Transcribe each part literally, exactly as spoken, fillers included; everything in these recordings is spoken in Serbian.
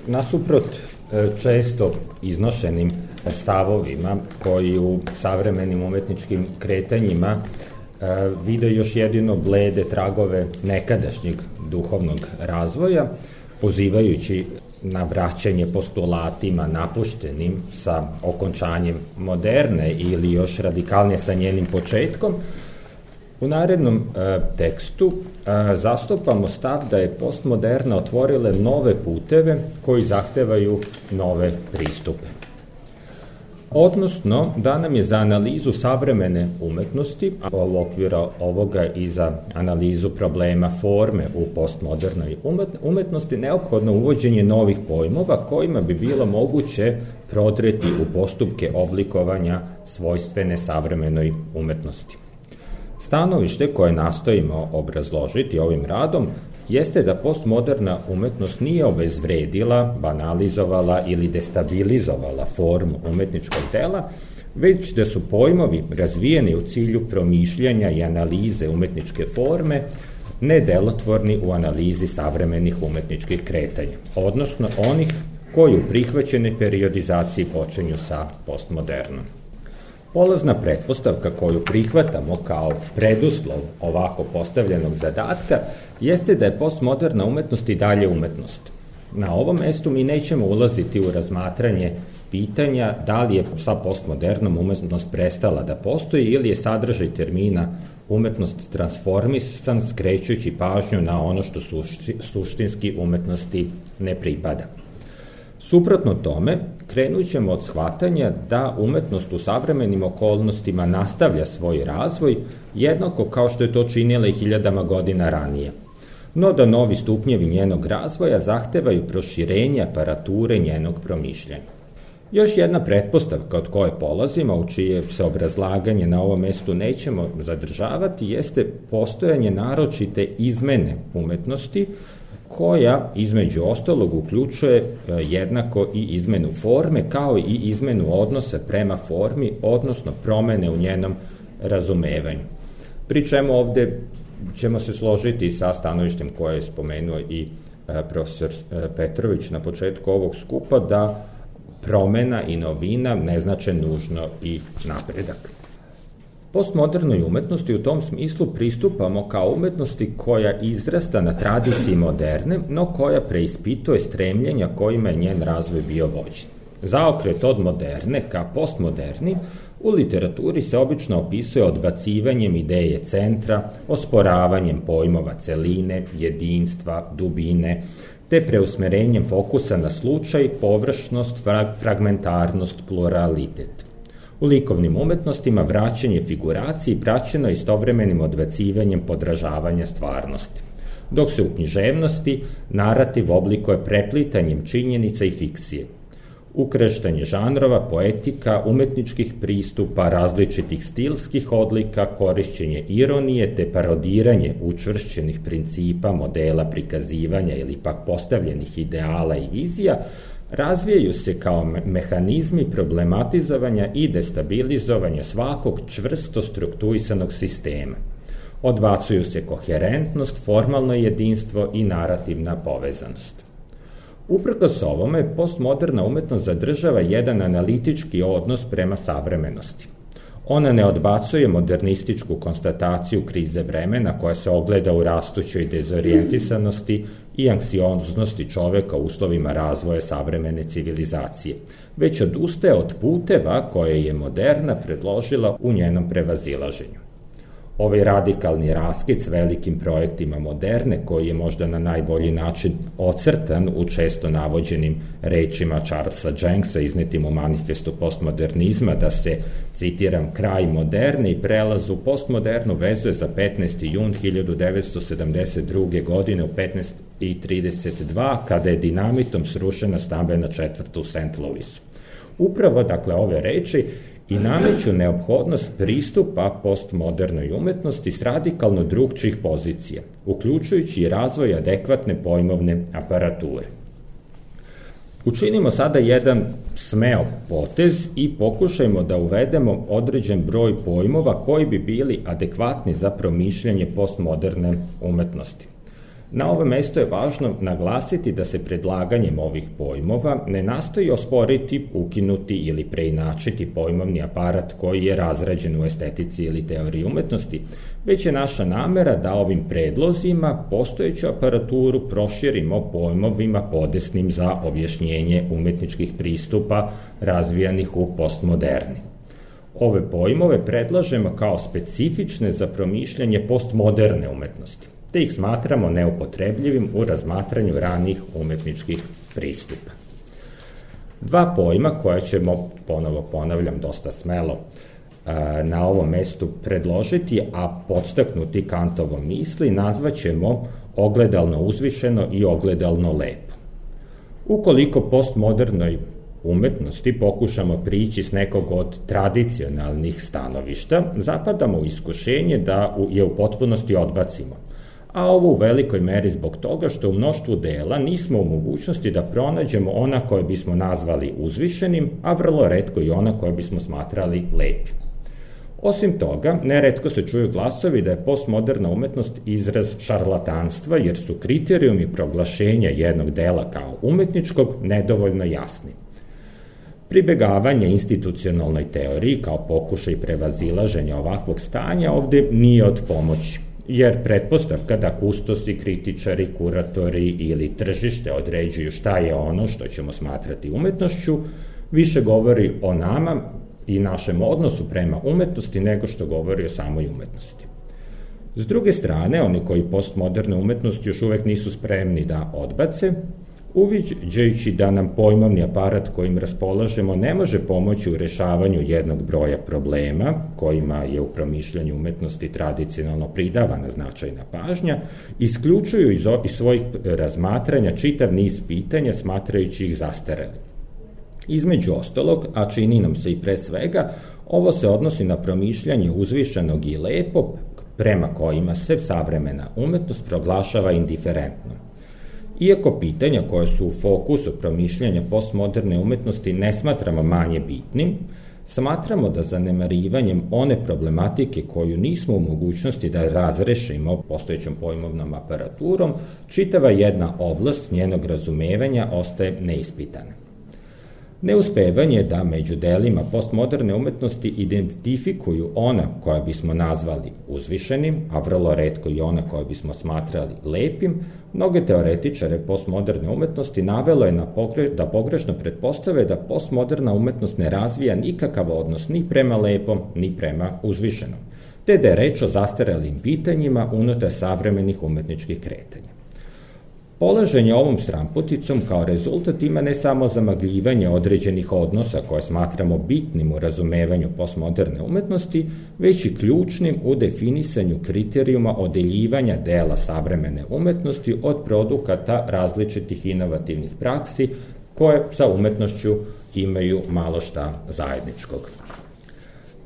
Nasuprot često iznošenim stavovima koji u savremenim umetničkim kretanjima vide još jedino blede tragove nekadašnjeg duhovnog razvoja, pozivajući na vraćanje postulatima napuštenim sa okončanjem moderne ili još radikalnije sa njenim početkom, u narednom e, tekstu e, zastupamo stav da je postmoderna otvorile nove puteve koji zahtevaju nove pristupe. Odnosno, da nam je za analizu savremene umetnosti, a u okviru ovoga i za analizu problema forme u postmodernoj umetnosti, neophodno uvođenje novih pojmova kojima bi bilo moguće prodreti u postupke oblikovanja svojstvene savremenoj umetnosti. Stanovište koje nastojimo obrazložiti ovim radom jeste da postmoderna umetnost nije obezvredila, banalizovala ili destabilizovala formu umetničkog dela, već da su pojmovi razvijeni u cilju promišljanja i analize umetničke forme nedelotvorni u analizi savremenih umetničkih kretanja, odnosno onih koji u prihvaćenoj periodizaciji počinju sa postmodernom. Polazna pretpostavka koju prihvatamo kao preduslov ovako postavljenog zadatka jeste da je postmoderna umetnost i dalje umetnost. Na ovom mestu mi nećemo ulaziti u razmatranje pitanja da li je sa postmodernom umetnost prestala da postoji ili je sadržaj termina umetnost transformisan, skrećujući pažnju na ono što suštinski umetnosti ne pripada. Suprotno tome, krenut ćemo od shvatanja da umetnost u savremenim okolnostima nastavlja svoj razvoj, jednako kao što je to činila i hiljadama godina ranije. No da novi stupnjevi njenog razvoja zahtevaju proširenje aparature njenog promišljanja. Još jedna pretpostavka od koje polazimo, u čije se obrazlaganje na ovom mestu nećemo zadržavati, jeste postojanje naročite izmene umetnosti, koja između ostalog uključuje jednako i izmenu forme, kao i izmenu odnosa prema formi, odnosno promene u njenom razumevanju. Pri čemu ovde ćemo se složiti sa stanovištem koje je spomenuo i profesor Petrović na početku ovog skupa, da promena i novina ne znače nužno i napredak. Postmodernoj umetnosti u tom smislu pristupamo kao umetnosti koja izrasta na tradiciji moderne, no koja preispituje stremljenja kojima je njen razvoj bio vođen. Zaokret od moderne ka postmoderni u literaturi se obično opisuje odbacivanjem ideje centra, osporavanjem pojmova celine, jedinstva, dubine, te preusmerenjem fokusa na slučaj, površnost, fragmentarnost, pluralitet. U likovnim umetnostima vraćanje figuraciji praćeno istovremenim odbacivanjem podražavanja stvarnosti, dok se u književnosti narativ oblikuje preplitanjem činjenica i fikcije. Ukrštanje žanrova, poetika, umetničkih pristupa, različitih stilskih odlika, korišćenje ironije te parodiranje učvršćenih principa, modela prikazivanja ili pak postavljenih ideala i vizija razvijaju se kao mehanizmi problematizovanja i destabilizovanja svakog čvrsto strukturisanog sistema. Odbacuju se koherentnost, formalno jedinstvo i narativna povezanost. Uprkos ovome, postmoderna umetnost zadržava jedan analitički odnos prema savremenosti. Ona ne odbacuje modernističku konstataciju krize vremena koja se ogleda u rastućoj dezorijentisanosti i anksioznosti čoveka u uslovima razvoja savremene civilizacije, već odustaje od puteva koje je moderna predložila u njenom prevazilaženju. Ovaj radikalni raskid s velikim projektima moderne, koji je možda na najbolji način ocrtan u često navođenim rečima Charlesa Jenksa iznetim u manifestu postmodernizma, da se, citiram, kraj moderne i prelaz u postmodernu vezuje za petnaesti jun hiljadu devetsto sedamdeset druge. godine u petnaest i trideset dva, kada je dinamitom srušena stambena četvrta u Saint Louisu. Upravo, dakle, ove reči i nameću neophodnost pristupa postmodernoj umetnosti s radikalno drugčijih pozicija, uključujući i razvoj adekvatne pojmovne aparature. Učinimo sada jedan smeo potez i pokušajmo da uvedemo određen broj pojmova koji bi bili adekvatni za promišljanje postmoderne umetnosti. Na ovom mjestu je važno naglasiti da se predlaganjem ovih pojmova ne nastoji osporiti, ukinuti ili preinačiti pojmovni aparat koji je razrađen u estetici ili teoriji umetnosti, već je naša namera da ovim predlozima postojeću aparaturu proširimo pojmovima podesnim za objašnjenje umetničkih pristupa razvijanih u postmoderni. Ove pojmove predlažemo kao specifične za promišljanje postmoderne umetnosti, te ih smatramo neupotrebljivim u razmatranju ranih umetničkih pristupa. Dva pojma koja ćemo, ponovo ponavljam, dosta smelo na ovom mestu predložiti, a podstaknuti Kantovom misli, nazvaćemo ogledalno uzvišeno i ogledalno lepo. Ukoliko postmodernoj umetnosti pokušamo prići s nekog od tradicionalnih stanovišta, zapadamo u iskušenje da je u potpunosti odbacimo, a ovo u velikoj meri zbog toga što u mnoštvu dela nismo u mogućnosti da pronađemo ona koje bismo nazvali uzvišenim, a vrlo retko i ona koje bismo smatrali lepim. Osim toga, neretko se čuju glasovi da je postmoderna umetnost izraz šarlatanstva, jer su kriterijumi proglašenja jednog dela kao umetničkog nedovoljno jasni. Pribegavanje institucionalnoj teoriji kao pokušaj prevazilaženja ovakvog stanja ovde nije od pomoći, jer pretpostavka da kustosi, kritičari, kuratori ili tržište određuju šta je ono što ćemo smatrati umetnošću, više govori o nama i našem odnosu prema umetnosti nego što govori o samoj umetnosti. S druge strane, oni koji postmoderne umetnosti još uvek nisu spremni da odbace, uviđajući da nam pojmovni aparat kojim raspolažemo ne može pomoći u rešavanju jednog broja problema, kojima je u promišljanju umetnosti tradicionalno pridavana značajna pažnja, isključuju iz, iz svojih razmatranja čitav niz pitanja, smatrajući ih zastareli. Između ostalog, a čini nam se i pre svega, ovo se odnosi na promišljanje uzvišenog i lepo, prema kojima se savremena umetnost proglašava indiferentnom. Iako pitanja koje su u fokusu promišljanja postmoderne umetnosti ne smatramo manje bitnim, smatramo da zanemarivanjem one problematike koju nismo u mogućnosti da razrešimo postojećom pojmovnom aparaturom, čitava jedna oblast njenog razumevanja ostaje neispitana. Neuspevanje da među delima postmoderne umetnosti identifikuju ona koja bismo nazvali uzvišenim, a vrlo retko i ona koja bismo smatrali lepim, mnoge teoretičare postmoderne umetnosti navelo je na pogre, da pogrešno pretpostave da postmoderna umetnost ne razvija nikakav odnos ni prema lepom, ni prema uzvišenom, te da je reč o zastarelim pitanjima unutar savremenih umetničkih kretanja. Polaženje ovom stramputicom kao rezultat ima ne samo zamagljivanje određenih odnosa koje smatramo bitnim u razumevanju postmoderne umetnosti, već i ključnim u definisanju kriterijuma odeljivanja dela savremene umetnosti od produkata različitih inovativnih praksi koje sa umetnošću imaju malo šta zajedničkog.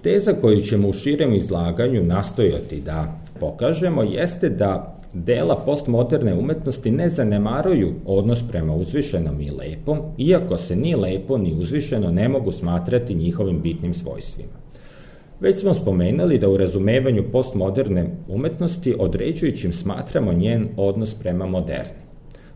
Teza koju ćemo u širem izlaganju nastojati da pokažemo jeste da dela postmoderne umetnosti ne zanemaruju odnos prema uzvišenom i lepom, iako se ni lepo ni uzvišeno ne mogu smatrati njihovim bitnim svojstvima. Već smo spomenuli da u razumevanju postmoderne umetnosti određujućim smatramo njen odnos prema moderni.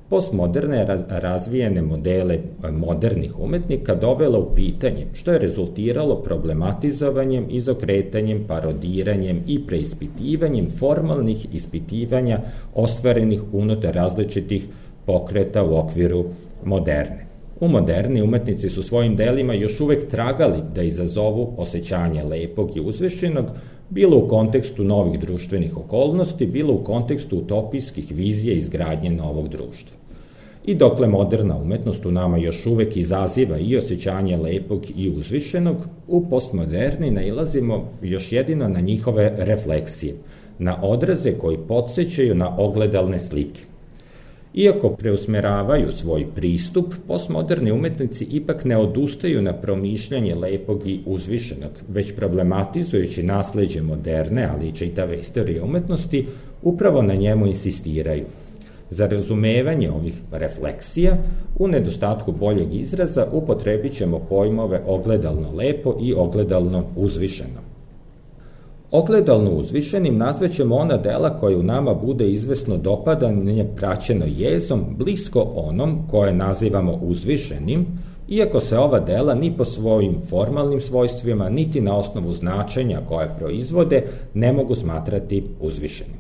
Postmoderne razvijene modele modernih umetnika dovela u pitanje, što je rezultiralo problematizovanjem, izokretanjem, parodiranjem i preispitivanjem formalnih ispitivanja ostvarenih unutar različitih pokreta u okviru moderne. U moderni umetnici su svojim delima još uvek tragali da izazovu osjećanje lepog i uzvišenog, bilo u kontekstu novih društvenih okolnosti, bilo u kontekstu utopijskih vizija izgradnje novog društva. I dokle moderna umetnost u nama još uvek izaziva i osjećanje lepog i uzvišenog, u postmoderni nailazimo još jedino na njihove refleksije, na odraze koji podsjećaju na ogledalne slike. Iako preusmeravaju svoj pristup, postmoderni umetnici ipak ne odustaju na promišljanje lepog i uzvišenog, već problematizujući nasleđe moderne, ali i čitave istorije umetnosti, upravo na njemu insistiraju. Za razumevanje ovih refleksija, u nedostatku boljeg izraza, upotrebit ćemo pojmove ogledalno lepo i ogledalno uzvišeno. Ogledalno uzvišenim nazvaćemo ona dela koje u nama bude izvesno dopadanje praćeno jezom, blisko onom koje nazivamo uzvišenim, iako se ova dela ni po svojim formalnim svojstvima, niti na osnovu značenja koje proizvode, ne mogu smatrati uzvišenim.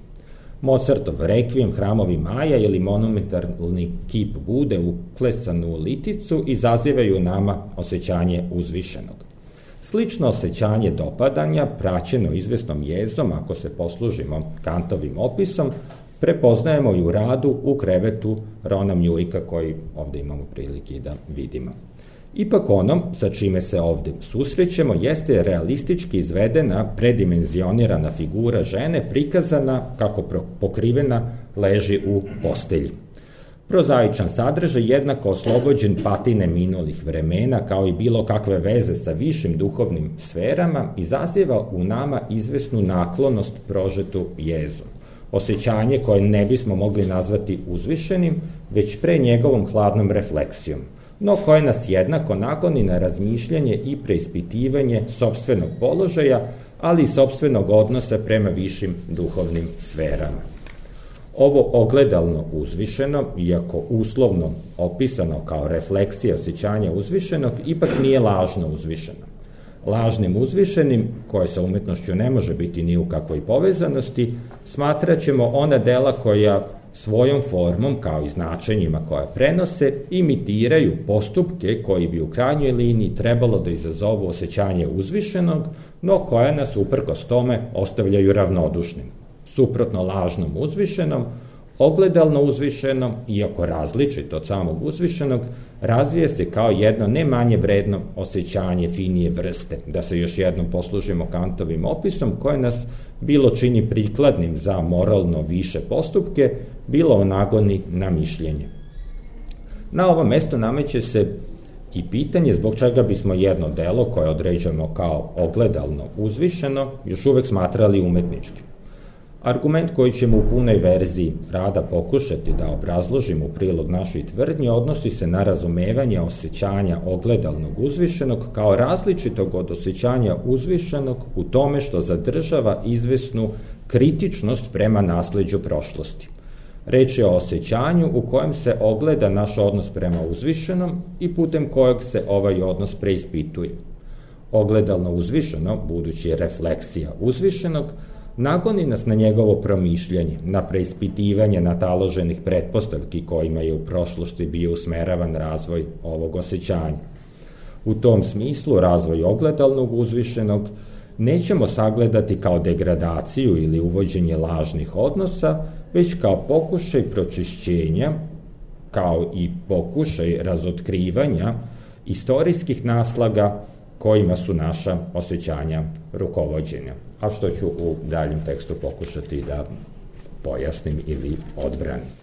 Mozartov rekvijem, Hramovi Maja ili monumentalni kip Bude uklesan u liticu izazivaju nama osjećanje uzvišenog. Slično osjećanje dopadanja, praćeno izvesnom jezom, ako se poslužimo Kantovim opisom, prepoznajemo i u radu U krevetu Rona Mjujka, koji ovde imamo prilike da vidimo. Ipak ono sa čime se ovde susrećemo jeste realistički izvedena, predimenzionirana figura žene prikazana kako pokrivena leži u postelji. Prozaičan sadržaj jednako oslobođen patine minulih vremena kao i bilo kakve veze sa višim duhovnim sferama izaziva u nama izvesnu naklonost prožetu jezom. Osjećanje koje ne bismo mogli nazvati uzvišenim, već pre njegovom hladnom refleksijom, no koje nas jednako nagoni na razmišljanje i preispitivanje sopstvenog položaja, ali i sopstvenog odnosa prema višim duhovnim sferama. Ovo ogledalno uzvišeno, iako uslovno opisano kao refleksija osjećanja uzvišenog, ipak nije lažno uzvišeno. Lažnim uzvišenim, koje sa umetnošću ne može biti ni u kakvoj povezanosti, smatrat ćemo ona dela koja svojom formom, kao i značenjima koja prenose, imitiraju postupke koji bi u krajnjoj liniji trebalo da izazovu osjećanje uzvišenog, no koja nas uprkos tome ostavljaju ravnodušnim. Suprotno lažnom uzvišenom, ogledalno uzvišenom, iako različito od samog uzvišenog, razvije se kao jedno ne manje vredno osjećanje finije vrste, da se još jednom poslužimo Kantovim opisom, koje nas bilo čini prikladnim za moralno više postupke, bilo nagoni na mišljenje. Na ovom mestu nameće se i pitanje zbog čega bismo jedno delo koje određujemo kao ogledalno uzvišeno još uvek smatrali umetničkim. Argument koji ćemo u punoj verziji rada pokušati da obrazložimo u prilog našoj tvrdnji odnosi se na razumevanje osjećanja ogledalnog uzvišenog kao različitog od osjećanja uzvišenog u tome što zadržava izvesnu kritičnost prema nasleđu prošlosti. Reč je o osjećanju u kojem se ogleda naš odnos prema uzvišenom i putem kojeg se ovaj odnos preispituje. Ogledalno uzvišeno, budući je refleksija uzvišenog, nagoni nas na njegovo promišljanje, na preispitivanje nataloženih pretpostavki kojima je u prošlosti bio usmeravan razvoj ovog osjećanja. U tom smislu razvoj ogledalnog uzvišenog nećemo sagledati kao degradaciju ili uvođenje lažnih odnosa, već kao pokušaj pročišćenja, kao i pokušaj razotkrivanja istorijskih naslaga kojima su naša osjećanja rukovođenja, a što ću u daljem tekstu pokušati da pojasnim ili odbranim.